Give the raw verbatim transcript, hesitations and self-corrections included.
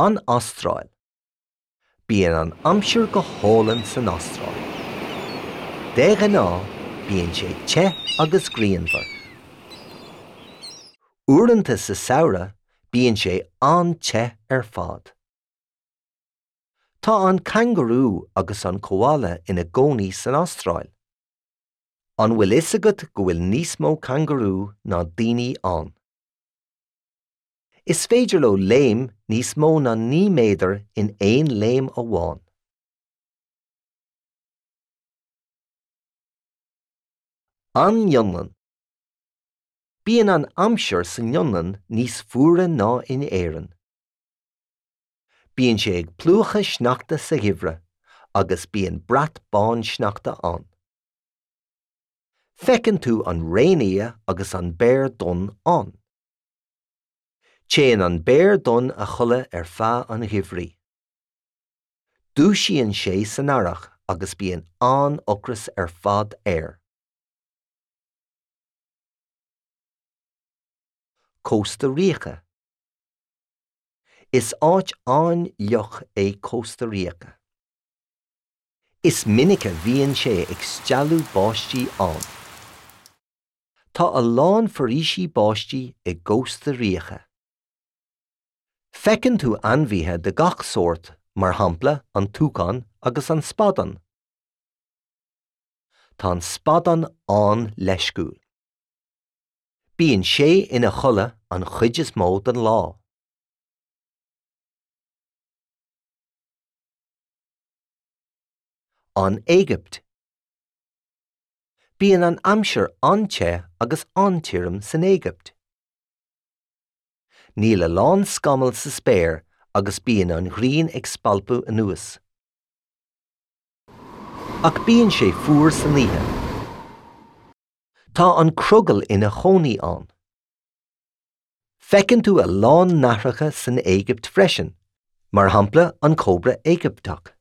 An Astráil. Bíonn an aimsir go hálainn san Astráil. De ghnáth bíonn sé te agus grianmhar. Uaireanta sa samhradh bíonn sé an-te ar fad. Tá an cangarú agus an koala ina gcónaí san Astráil. An bhfuil fhios agat go bhfuil níos mó cangarú ná daoine ann. Is féidir leo léim níos mó ná naoi méadar in aon léim amháin. An Fhionlainn. Bíonn an aimsir san Fhionlainn níos fuaire ná in Éirinn. Bíonn sé ag plúchadh sneachta sa gheimhreadh agus bíonn brat bán sneachta ann. Feiceann tú an réinfhia agus an béar donn ann. Téann an béar donn a chodladh ar feadh an gheimhridh. Dúisíonn sé san earrach agus bíonn an-ocras ar fad air. Cósta Ríoca. Is áit an-fhliuch é Cósta Ríoca. Is minic a bhíonn sé ag stealladh báistí ann. Tá a lán foraoisí báistí i gCósta Ríoca. Feiceann tú ainmhithe de gach sórt, mar shampla an túcán agus an spadán. Tá an spadán an-leisciúil. Bíonn sé ina chodladh an chuid is mó den lá. An Éigipt. Bíonn an aimsir an-te agus an-tirim san Éigipt. Níl a lán scamall sa spéir agus bíonn an ghrian ag spalpadh anuas. Ach bíonn sé fuar san oíche. Tá an crogall ina chónaí ann. Feiceann tú a lán nathracha san Éigipt freisin, mar shampla an cóbra Éigipteach.